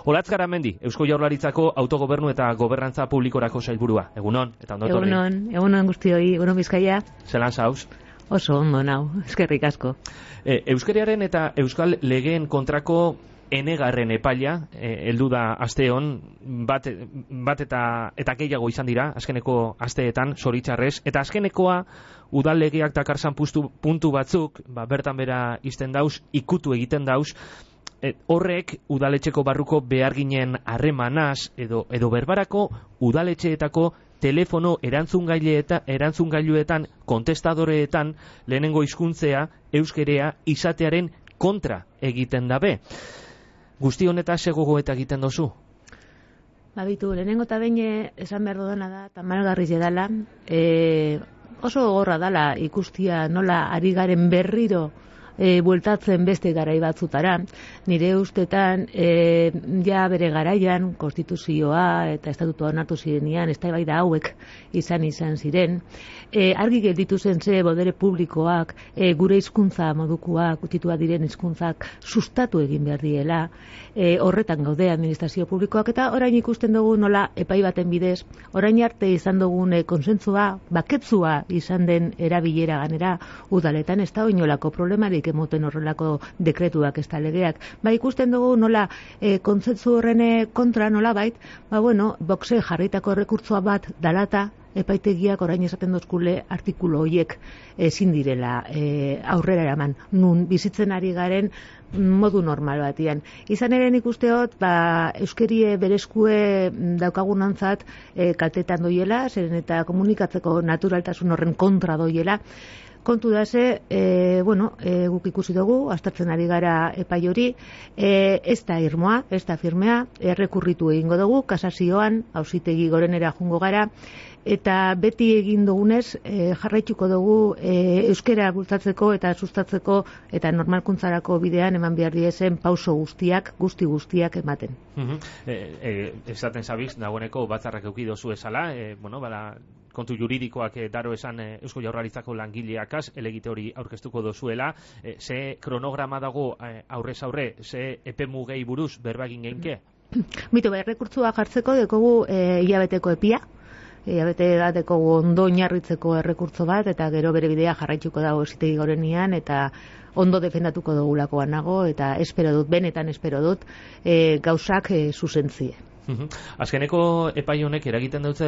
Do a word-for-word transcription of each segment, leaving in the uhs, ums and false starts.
Olatz Garamendi, Eusko Jaurlaritzako autogobernu eta gobernantza publikorako sailburua. Egunon, eta ondo etorri. Egunon, egunon guztioi, egunon Bizkaia. Zelan zauz? Oso ondo nau, eskerrik asko. E, Euskariaren eta Euskal Legeen kontrako enegarren epaila, heldu da asteon, bat, bat eta, eta gehiago izan dira, azkeneko asteetan, zoritxarrez, eta azkenekoa udal legeak dakarsan puntu, puntu batzuk, ba, bertan bera izten dauz, ikutu egiten dauz, e, horrek udaletxeko barruko beharginen harremanaz, edo, edo berbarako udaletxeetako telefono erantzungaileetan, erantzungailuetan, kontestadoreetan, lehenengo hizkuntzea euskerea izatearen kontra egiten dabe. Guzti honeta segogo eta egiten dozu? Babitu, lehenengo eta behin esan behar dudana da, tamalgarriz edala, e, oso gogorra dala ikustia nola ari garen berriro e, bueltatzen beste garai batzutara. Nire ustetan, e, ja bere garaian, konstituzioa eta estatutua onartu zirenean, eztabaida hauek izan izan ziren, e, argi gelditu zen ze bodere publikoak, e, gure hizkuntza modukoak, utitua diren hizkuntzak sustatu egin behar diela, e, horretan gaude administrazio publikoak, eta orain ikusten dugu nola epai baten bidez, orain arte izan dugun e, konsentzua, baketzua izan den erabilera ganera, udaletan ez da oinolako problemarik emoten horrelako dekretuak ez da legeak. Ba, ikusten dugu nola e, kontzentzu horren kontra nola bait, ba bueno, boxe jarritako rekurtzoa bat dalata, epaitegiak orain esaten dozkule artikulu horiek ezin direla e, aurrera eraman, nun bizitzen ari garen modu normal batian. Izan ere nik usteot, ba, euskerie bereskue daukagunantzat e, kaltetan doiela, zeren eta komunikatzeko naturaltasun horren kontra doiela. Kontu da ze, e, bueno, e, guk ikusi dugu, aztertzen ari gara epai hori, e, ez da irmoa, ez da firmea, errekurritu egingo dugu, kasazioan, auzitegi gorenera jungo gara, eta beti egin dugunez e, jarraituko dugu e, euskera bultzatzeko eta sustatzeko eta normalkuntzarako bidean eman behar diezen pauso guztiak, guzti guztiak ematen. Uh-huh. e, e, esaten zabiz, dagoeneko batzarrak euki dozu esala, e, bueno, bala, kontu juridikoak e, daro esan e, Eusko Jaurlaritzako langileakaz, elegite hori aurkeztuko dozuela, e, ze kronograma dago e, aurrez aurre, ze epe mugei buruz berbagin geinke? Mito, bai, rekurtzua jartzeko dekogu e, hilabeteko epia, hilabete bateko ondo oinarritzeko errekurtzo bat, eta gero bere bidea jarraituko dago auzitegi gorenean, eta ondo defendatuko dugulakoan nago, eta espero dut, benetan espero dut, e, gauzak e, zuzentzie. Azkeneko epai honek eragiten dutze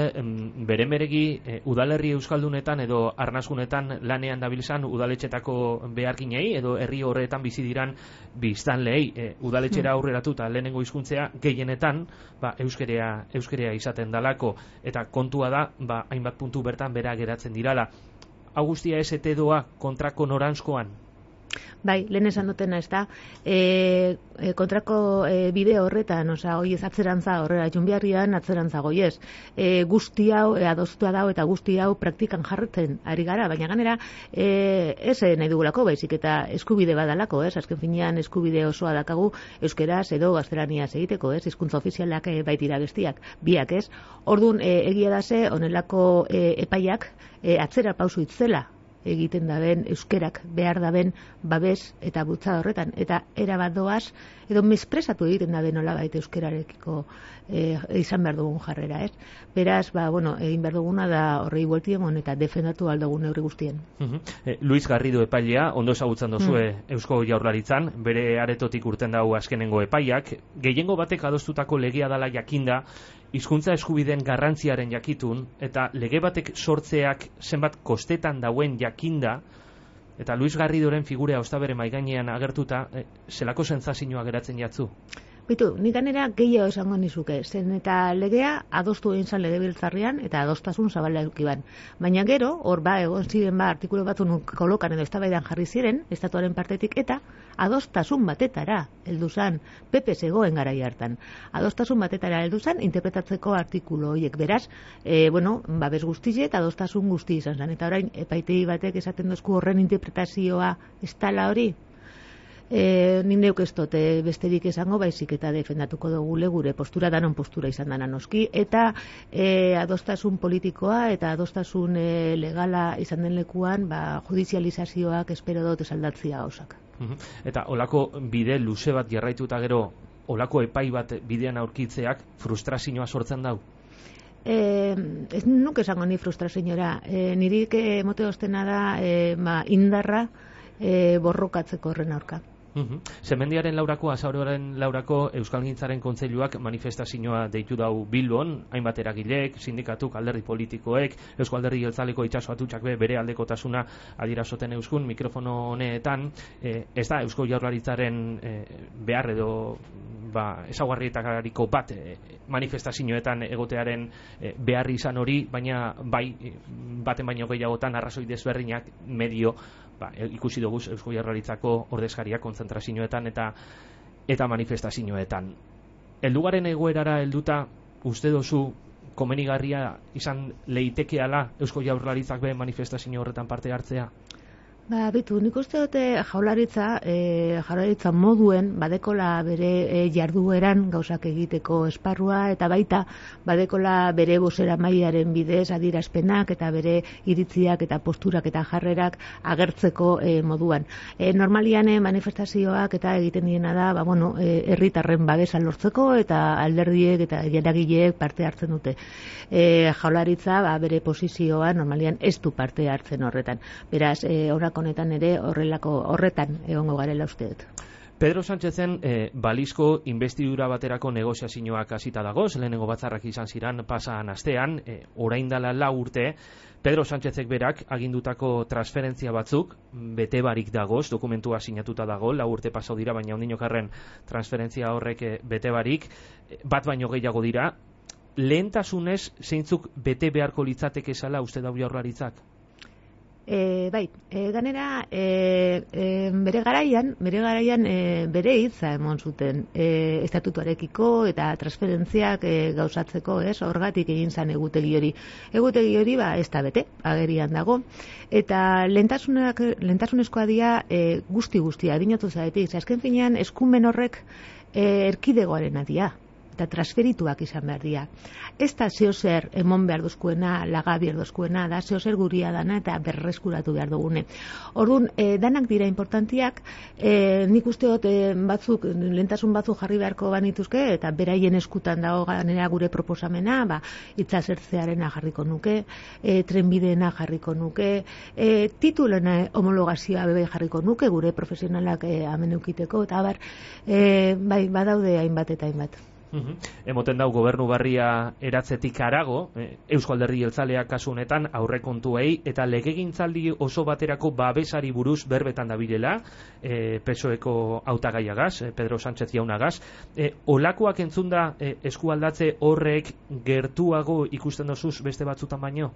beren beregi e, udalerri euskaldunetan edo arnasgunetan lanean dabilzan udaletxetako beharginei edo herri horretan bizi diran biztanleei e, udaletxera aurreratu eta lehenengo hizkuntzea gehienetan ba, euskerea, euskerea izaten dalako, eta kontua da ba, hainbat puntu bertan bera geratzen dirala. Augustia ez ete doa kontrako noranzkoan? Bai, lehen esan dutena ez da, e, e, kontrako e, bide horretan, oza, goiez atzerantza horrela junbiarrian atzerantza goiez. E, guzti hau, e, adostua dau eta guzti hau praktikan jarretzen ari gara, baina ganera e, ez nahi dugulako, baizik eta eskubide badalako, ez, azken finean eskubide osoa dakagu euskeraz edo gaztelaniaz egiteko, ez, hizkuntza ofizialak e, baitira bestiak, biak, ez. Orduan, e, egia da ze, honelako e, epaiak e, atzera pausu itzela egiten daben, euskerak behar daben babes eta bultza horretan, eta erabat doaz, edo mespresatu egiten daben nolabait euskerarekiko e, izan behar dugun jarrera, ez? Beraz, ba, bueno, egin behar duguna da horrei bueltien eta defendatu aldugun neurri guztien. Uh-huh. e, Luis Garrido epailea, ondo ezagutzen dozue mm. Eusko Jaurlaritzan, bere aretotik urten dau azkenengo epaiak, gehiengo batek adostutako legea dala jakinda, hizkuntza eskubideen garrantziaren jakitun, eta lege batek sortzeak zenbat kostetan dauen jakinda, eta Luis Garridoren figurea ostabere maigainean agertuta, e, zelako sentsazioa geratzen jatzu? Bitu, nik ganera gehiago esango nizuke, zen eta legea adostu egin zan legebiltzarrean eta adostasun zabala eukiban. Baina gero, hor ba, egon ziren ba, artikulu batzu nuk kolokan edo eztabaidan jarri ziren, estatuaren partetik, eta adostasun batetara heldu zan, P P zegoen garai hartan. Adostasun batetara heldu zan, interpretatzeko artikulu horiek. Beraz, e, bueno, babes guztize eta adostasun guzti izan zan. Eta orain, epaitegi batek esaten dozku horren interpretazioa ez tala hori, E, Nindeuk ez dote besterik esango, baizik eta defendatuko dugule gure postura, danon postura izan dana noski, eta e, adostasun politikoa eta adostasun e, legala izan den lekuan, ba, judizializazioak espero dut esaldatzia gauzak. Eta olako bide luze bat jarraituta gero olako epai bat bidean aurkitzeak frustrazioa sortzen dau? Eh, ez nuke esango ni frustrazioa. Eh, nirik emote ostena da eh, ba, indarra eh, borrokatzeko horren aurka. Uhum. Zemendiaren laurako, azaroaren laurako Euskalgintzaren Kontseiluak manifestazioa deitu dau Bilbon, hainbat eragileek, sindikatuk, alderdi politikoek, Eusko Alderdi Jeltzaleko itxaso atutxak be bere aldekotasuna adirasoten euskun mikrofono honetan, eh, ez da Eusko Jaurlaritzaren eh, behar edo ba, ezaguarrietariko bat eh, manifestazioetan egotearen eh, behar izan hori, baina bai baten baino gehiagotan arrazoi desberdinak medio ba, ikusi dugu Eusko Jaurlaritzako ordezkariak kontzentrazioetan eta eta manifestazioetan. Heldugaren egoerara helduta uste dozu komenigarria izan leitekeala Eusko Jaurlaritzak be manifestazio horretan parte hartzea? Ba, bitu, nik uste dute jaularitza, e, jaularitza moduen badekola bere e, jardueran gauzak egiteko esparrua eta baita badekola bere bozera mailaren bidez adierazpenak eta bere iritziak eta posturak eta jarrerak agertzeko e, moduan. E, normalian e, manifestazioak eta egiten diena da, ba, bueno, e, herritarren babesa lortzeko eta alderdiek eta eragileek parte hartzen dute. E, jaularitza ba, bere posizioa normalian ez du parte hartzen horretan. Beraz, e, honetan ere horrelako horretan egongo garela uste dut. Pedro Sánchezen eh, balizko investidura baterako negoziazioak hasita dagoz, lehenengo batzarrak izan ziran pasan astean, eh, orain dela lau urte, Pedro Sánchezek berak agindutako transferentzia batzuk bete barik dagoz, dokumentua sinatuta dago, lau urte pasau dira, baina ondinokarren transferentzia horrek eh, bete barik, bat baino gehiago dira, lehentasunez zeintzuk bete beharko litzateke zala uste dau Jaurlaritzak? E, bai, e, ganera e, e, bere garaian, bere garaian e, bere hitza emon zuten e, estatutuarekiko eta transferentziak e, gauzatzeko, ez, horgatik egin zan egutegi hori. Egutegi hori ba ez da bete, agerian dago, eta lentasunak, lentasunezkoa dira e, guzti guztia, dinotu zaetik, azken finean eskumen horrek e, erkidegoaren adia eta transferituak izan behar dira. Ez da zeo zer emon behar dozkuena, laga behar dozkuena, da zeo zer guria dana eta berreskuratu behar dugune. Orduan, e, danak dira importantiak, e, nik uste dut e, batzuk, lentasun batzuk jarri beharko banituzke, eta beraien eskutan dago ganera gure proposamena, ba, itzazertzearena jarriko nuke, e, trenbideena jarriko nuke, e, titulena homologazioa bebe jarriko nuke, gure profesionalak e, amen eukiteko, eta bar, e, bai, badaude hainbat eta hainbat. Uhum. Emoten dau gobernu barria eratzetik harago, eh, Eusko Alderdi Jeltzaleak kasu honetan aurrekontuei eta legegintzaldi oso baterako babesari buruz berbetan dabilela, eh, P S O Eko hautagaiagaz, eh, Pedro Sánchez jaunagaz. Eh, olakoak entzunda eh, eskualdatze horrek gertuago ikusten dozuz beste batzutan baino?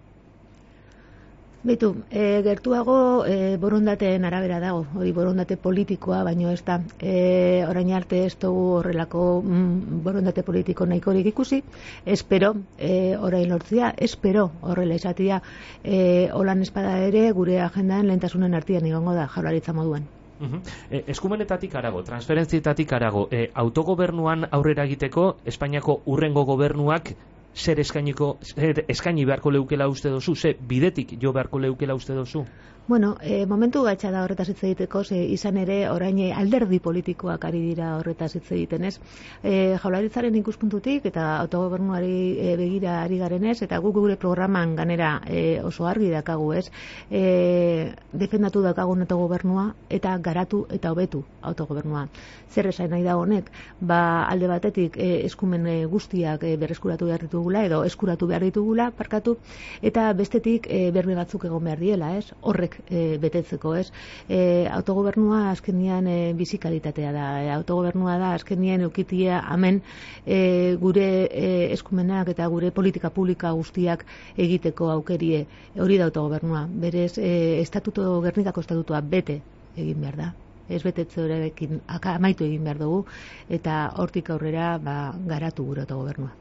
Beitu, e, gertuago e, borondateen arabera dago, hori borondate politikoa, baino ez da, e, orain arte ez dugu horrelako mm, borondate politiko nahikorik ikusi, espero e, orain lortzia, espero horrela izatia, e, holan espada ere gure agendan lehentasunen artean egongo da Jaurlaritza moduan. Uhum. E, eskumenetatik arago, transferentzietatik arago, e, autogobernuan aurrera egiteko Espainiako hurrengo gobernuak zer eskainiko, zer eskaini beharko leukela uste dozu, ze bidetik jo beharko leukela uste dozu? Bueno, e, momentu gaitza da horretaz hitz egiteko, ze izan ere orain alderdi politikoak ari dira horretaz hitz egiten, ez? E, Jaurlaritzaren ikuspuntutik eta autogobernuari e, begira ari garenez, eta guk gure programan ganera e, oso argi dakagu, ez? E, defendatu dakagun autogobernua eta garatu eta hobetu autogobernua. Zer esan nahi da honek? Ba, alde batetik e, eskumen e, guztiak e, berreskuratu behar ditugula edo eskuratu behar ditugula, parkatu, eta bestetik e, berme batzuk egon behar diela, ez? Horrek E, betetzeko, ez? E, autogobernua azkenian e, bizikalitatea da. E, autogobernua da azkenian eukitia hemen e, gure e, eskumenak eta gure politika publika guztiak egiteko aukerie. Hori da autogobernua. Berez, e, estatuto, Gernikako estatutua bete egin behar da. Ez betetze horrekin amaitu egin behar dugu eta hortik aurrera ba, garatu gure autogobernua.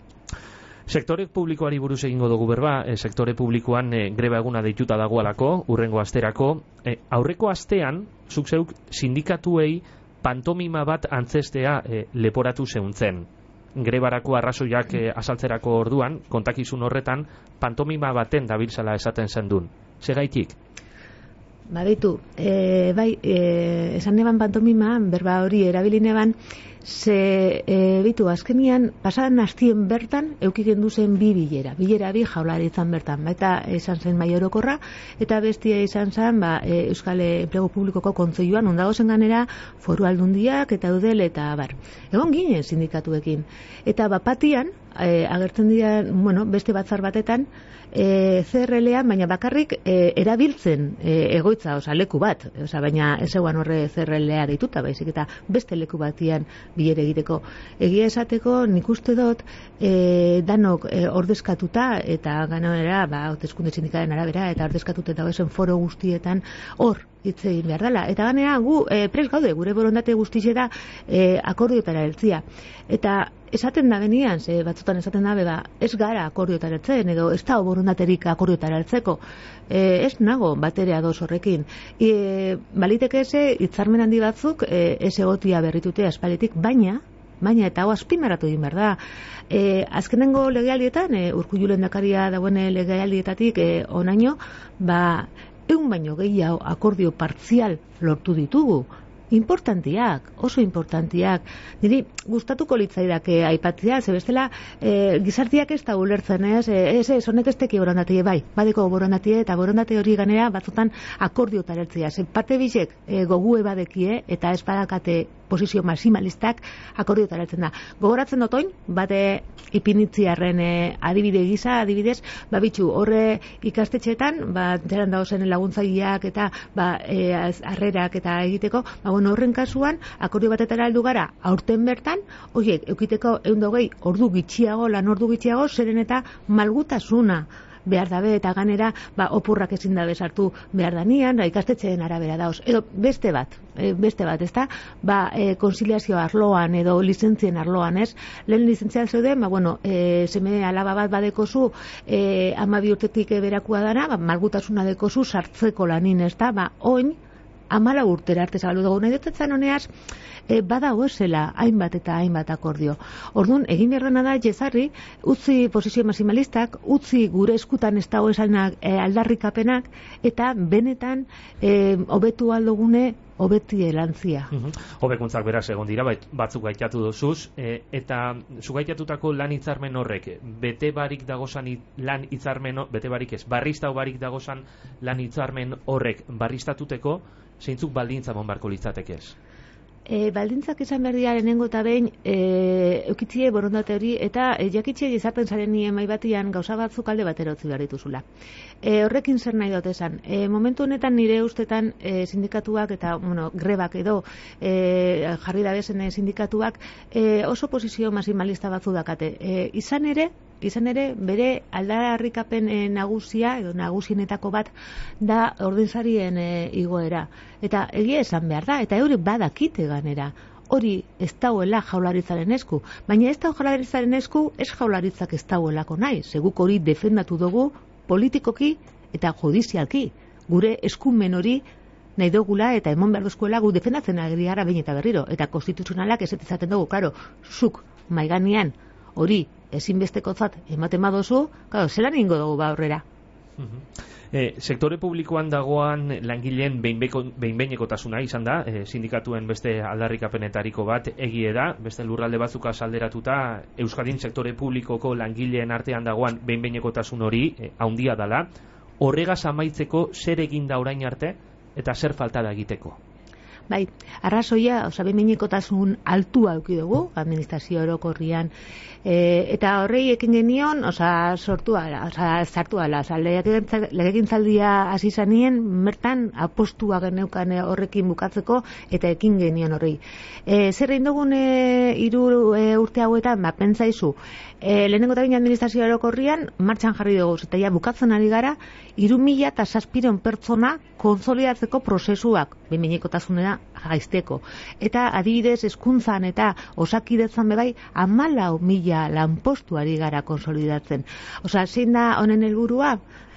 Sektore publikoari buruz egingo dugu berba, e, sektore publikoan e, greba eguna deituta dagoalako, urrengo asterako. E, aurreko astean, zuk zeuk sindikatuei pantomima bat antzestea e, leporatu zeuntzen. Grebarako arrazoiak e, azaltzerako orduan, kontakizun horretan, pantomima baten dabiltzala esaten zendun. Segaitik? Baditu, e, bai, e, esan neban pantomima, berba hori erabilineban, Ze, e, bitu, azkenian, pasadan hastien bertan, eukiken duzen bi bilera. Bilera bi jaularitzan bertan, baita izan zen Mahai Orokorra, eta bestia izan zen, ba, e, Euskal Enplegu Publikoko Kontseiluan, ondagozen ganera, Foru Aldundiak eta Eudel eta bar. Egon ginen sindikatuekin. Eta bapatian, e, agertzen dira, bueno, beste batzar batetan, e, C R L-an, baina bakarrik e, erabiltzen e, egoitza, oza, leku bat, oza, baina ez eguan horre C R L-a deituta, baizik eta beste leku batian bilere egiteko. Egia esateko, nik uste dut, e, danok e, ordezkatuta, eta ganera, ba, hauteskunde sindikalen arabera, eta ordezkatuta eta ezen foro guztietan, hor, hitz egin behar dela. Eta ganera, gu, e, prest gaude, gure borondate guztize da e, akordiotara heltzia. Eta esaten da benian, ze batzutan esaten da, beba, ez gara akordiotara heltzen, edo ez da borondaterik akordiotara heltzeko. E, ez nago batere ados horrekin. E, baliteke eze, hitzarmen handi batzuk, e, ez egotia berritute aspaletik, baina, baina eta hau azpimarratu egin behar da. E, azkenengo legealdietan, e, Urkullu lehendakaria dagoen legealdietatik e, onaino, ba, egun baino gehiago akordio partzial lortu ditugu. Importantiak, oso importantiak. Niri gustatuko litzaidake aipatzea, ze bestela e, gizartiak ez da ulertzen, ez, ez, ez, honek ez teki borondatie, bai, badeko borondatie, eta borondate hori ganera batzutan akordiotara heltzea. Ze parte bizek e, gogue badekie, eta ez badakate posizio maximalistak akordiotara heltzen da. Gogoratzen dotoin, bate ipinitziarren e, adibide gisa, adibidez, ba bitxu, horre ikastetxeetan, ba, zeran dagozen laguntzaileak eta ba, e, harrerak eta egiteko, ba, bueno, horren kasuan, akordio batetara heldu gara, aurten bertan, horiek, eukiteko ehun eta hogei ordu gitxiago, lan ordu gitxiago, zeren eta malgutasuna behar dabe, eta ganera, ba, opurrak ezin dabe sartu behar danian, da, ikastetxeen arabera dauz. Edo, beste bat, e, beste bat, ezta? Ba, e, konsiliazio arloan, edo lizentzien arloan, ez? Lehen lizentzial zeuden, ba, bueno, e, seme alaba bat badekozu, e, ama bi urtetik berakua dana, ba, malgutasuna dekozu sartzeko lanin, ezta? Ba, oin, amala urtera arte zabalu dugu. Nahi dutetzen honeaz, e, bada hoezela hainbat eta hainbat akordio. Orduan, egin beharrena da, jezarri, utzi posizio maximalistak, utzi gure eskutan ez dago esanak e, aldarrikapenak, eta benetan e, hobetu aldogune hobeti elantzia. Uh -huh. Hobekuntzak beraz egon dira, batzuk gaitatu dozuz, e, eta zugaitatutako lan hitzarmen horrek, bete barik dagozan lan hitzarmen, bete barik ez, barriztau barik dagozan lan hitzarmen horrek barriztatuteko, zeintzuk baldintza mon barko litzateke ez? E, baldintzak izan behar dira lehenengo eta behin e, eukitzie borondate hori eta e, jakitxe izaten zaren nien mai batian gauza batzuk alde batera utzi behar dituzula. E, horrekin zer nahi dut esan. E, momentu honetan nire ustetan e, sindikatuak eta bueno, grebak edo e, jarri da bezen sindikatuak e, oso posizio maximalista batzu dakate. E, izan ere, izan ere, bere aldarrikapen e, nagusia edo nagusienetako bat da ordensarien e, igoera. Eta egia esan behar da, eta euri badakite ganera. Hori ez dauela jaularitzaren esku. Baina ez da jaularitzaren esku, ez jaularitzak ez dauelako nahi. Seguk hori defendatu dugu politikoki eta judizialki. Gure eskumen hori nahi dugula eta emon behar duzkuela gu defendatzen agri gara behin eta berriro. Eta konstituzionalak ez ezaten dugu, karo, zuk maiganean hori ezinbestekotzat ematen badozu, karo, zelan ingo dugu ba horrera. E, sektore publikoan dagoan langileen behin-behinekotasuna izan da, e, sindikatuen beste aldarrikapenetariko bat egie da, beste lurralde batzuk alderatuta, Euskadin sektore publikoko langileen artean dagoan behin-behinekotasun hori e, haundia dala. Horregaz amaitzeko zer egin da orain arte eta zer falta da egiteko? Bai, arrazoia, oza, behin-behinekotasun altua eduki dugu, administrazio orokorrian, e, eta horrei ekin genion, oza, sortu ala, oza, zartu ala, oza, legegintzaldia hasi zanien, mertan apostua geneukan horrekin bukatzeko, eta ekin genion horrei. E, zer egin dugun e, iru e, urte hauetan, ba, pentsaizu, e, lehenengo eta baina administrazio orokorrian, martxan jarri dugu, eta ja, bukatzen ari gara, iru mila eta zazpiron pertsona konsolidatzeko prozesuak, behin-behinekotasunera jaizteko. Eta adibidez hezkuntzan eta osakidetzan bebai hamalau mila lanpostuari gara konsolidatzen. Osea, zein da honen helburua?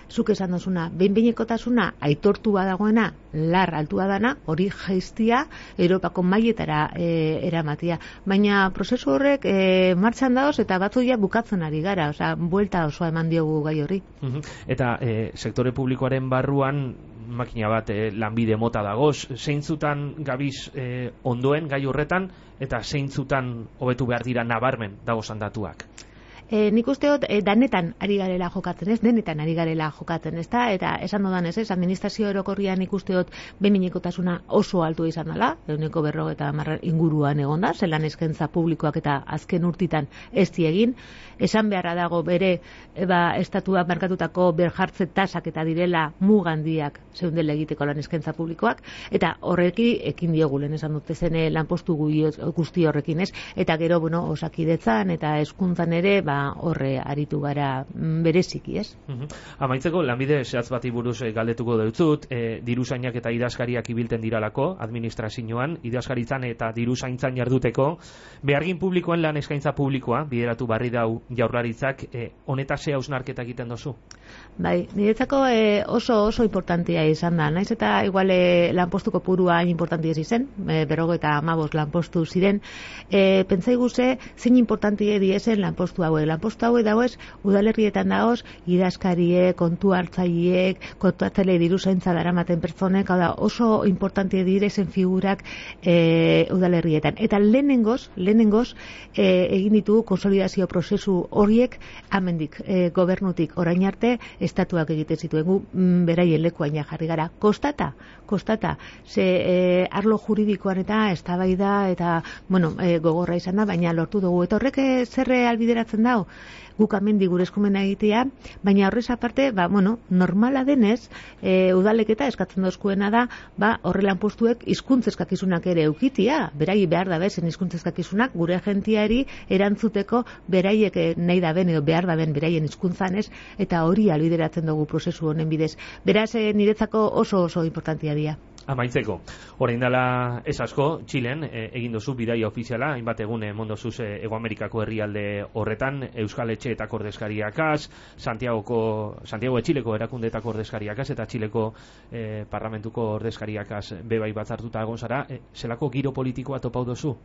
Zuk esan dozuna, behin-behinekotasuna aitortu badagoena, lar altua dana, hori jaiztia Europako mailetara e, eramatia. Baina prozesu horrek e, martxan daoz eta batzu ja bukatzen ari gara, osea, buelta osoa eman diogu gai horri. Eta e, sektore publikoaren barruan makina bat e, lanbide mota dagoz, zeintzutan gabiz e, ondoen gai horretan eta zeintzutan hobetu behar dira nabarmen dagozan datuak? E, nik usteot e, danetan ari garela jokatzen, ez denetan ari garela jokatzen, ez da, eta esan dodan ez, ez, administrazio orokorrian nik usteot behin-behinekotasuna oso altu izan dela, eguneko berro eta marra inguruan egon da, zelan eskaintza publikoak eta azken urtitan ez diegin, esan beharra dago bere eba, estatuak markatutako berjartze tasak eta direla mugandiak zeundela egiteko lan eskaintza publikoak, eta horreki ekin diogu lehen esan dute zen lanpostu guzti horrekin, ez, eta gero, bueno, osakidetzan eta hezkuntzan ere, ba, horre aritu gara bereziki, ez? Uh-huh. Amaitzeko, lanbide zehatz bati buruz e, galdetuko deutzut, e, diruzainak eta idazkariak ibilten diralako, administrazioan, idazkaritzan eta diruzaintzan jarduteko, behargin publikoen lan eskaintza publikoa, bideratu barri dau jaurlaritzak, e, honetaz ze hausnarketa egiten dozu? Bai, niretzako e, oso oso importantia izan da, naiz eta igual e, lanpostuko purua importantia izen, e, berrogo eta amabos lanpostu ziren, e, pentsai guze, zein importantia diezen lanpostu hauek. Lanpostu hauek dagoez, udalerrietan dagoz, idazkarie, kontu hartzaileek, kontu hartzaile diruzaintza daramaten pertsonek, hau da, oso importantia direzen figurak e, udalerrietan. Eta lehenengoz, lehenengoz, e, egin ditu konsolidazio prozesu horiek amendik, e, gobernutik orain arte, estatuak egiten zituen gu, m, beraien lekuaina jarri gara. Kostata, kostata, ze e, arlo juridikoan eta eztabaida eta, bueno, e, gogorra izan da, baina lortu dugu. Eta horrek e, zerre albideratzen dau, guk amendi gure eskumena egitea, baina horrez aparte, ba, bueno, normala denez, e, udalek eta eskatzen dozkuena da, ba, horre lanpostuek hizkuntzeskakizunak ere eukitia, berai behar da bezen hizkuntzeskakizunak, gure agentiari erantzuteko beraiek nahi da ben edo behar da ben beraien hizkuntzan ez, eta hori albideratzen dugu prozesu honen bidez. Beraz, e, niretzako oso oso importantia dira. Amaitzeko, orain dela ez asko, Txilen, e, egin dozu bidaia ofiziala, hainbat egun emondozuz e, Ego Amerikako herrialde horretan, Euskal Etxeetako ordezkariakaz, Santiagoko, Santiago de Txileko erakundeetako ordezkariakaz, eta Txileko e, parlamentuko ordezkariakaz bebai batzartuta egon zara, e, zelako giro politikoa topau dozu?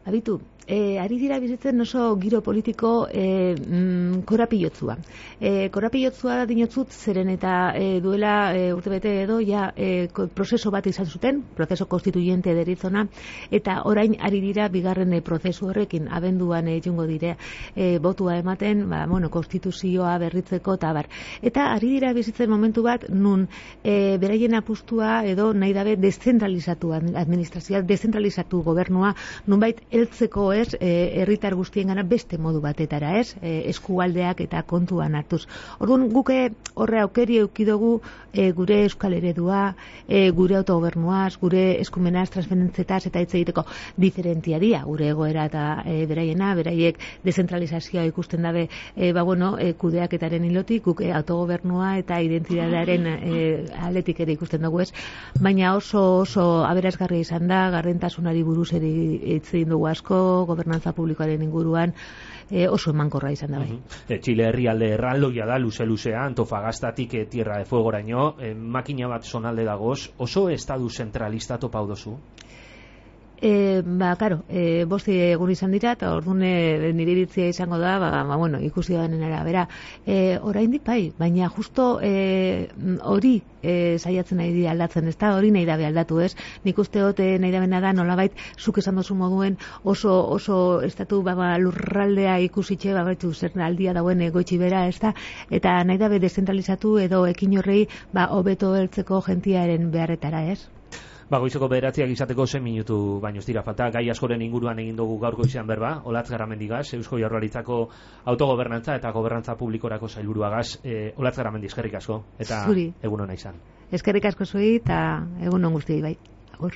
Abitu, e, ari dira bizitzen oso giro politiko e, mm, korapilotzua. E, korapilotzua dinotzut zeren eta e, duela e, urtebete edo ja e, prozeso bat izan zuten, prozeso konstituyente deritzona, eta orain ari dira bigarren e, prozesu horrekin abenduan e, jungo dire e, botua ematen, ba, bueno, konstituzioa berritzeko eta bar. Eta ari dira bizitzen momentu bat nun e, beraien apustua edo nahi dabe deszentralizatu administrazioa, deszentralizatu gobernua, nunbait heltzeko ez, herritar e, guztien gana beste modu batetara ez, e, eskualdeak eta kontuan hartuz. Orduan guke horre aukeri eukidogu e, gure euskal eredua, e, gure autogobernuaz, gure eskumenaz, transferentzetaz eta hitz egiteko diferentia dia, gure egoera eta e, beraiena, beraiek dezentralizazioa ikusten dabe, e, ba bueno, e, kudeaketaren hilotik, guk e, autogobernua eta identitatearen e, aletik ere ikusten dugu ez, baina oso oso aberasgarria izan da, gardentasunari buruz ere hitz egin dugu asko, gobernantza publikoaren inguruan, e, oso emankorra izan da bai. Uh-huh. e, Txile herrialde erraldoia da, luze-luzea, Antofagastatik e, Tierra de Fuegoraino, e, makina bat zonalde dagoz, oso estadu zentralista topau dozu? E, ba, karo, e, bosti egun izan dira, eta orduan e, nire iritzia izango da, ba, ba bueno, ikusi da denen arabera. E, oraindik bai, baina justo e, hori e, saiatzen nahi dira aldatzen, ez da, hori nahi dabe aldatu, ez? Nik uste dut nahi dabena da, nolabait, zuk esan dozu moduen oso, oso estatu ba, ba, lurraldea ikusitxe, ba, baitu, zer aldia dauen egoitzi bera, ez da, eta nahi dabe dezentralizatu edo ekin horrei, ba, hobeto heltzeko jentiaren beharretara, ez? Ba, goizeko bederatziak izateko zen minutu baino ez dira falta, gai askoren inguruan egin dugu gaurko izan berba, Olatz Garamendigaz, Eusko Jaurlaritzako autogobernantza eta gobernantza publikorako sailburuagaz, e, Olatz Garamendi, eskerrik asko, eta Zuri. Egun ona izan. Eskerrik asko zui eta egun on guztiei bai. Agur.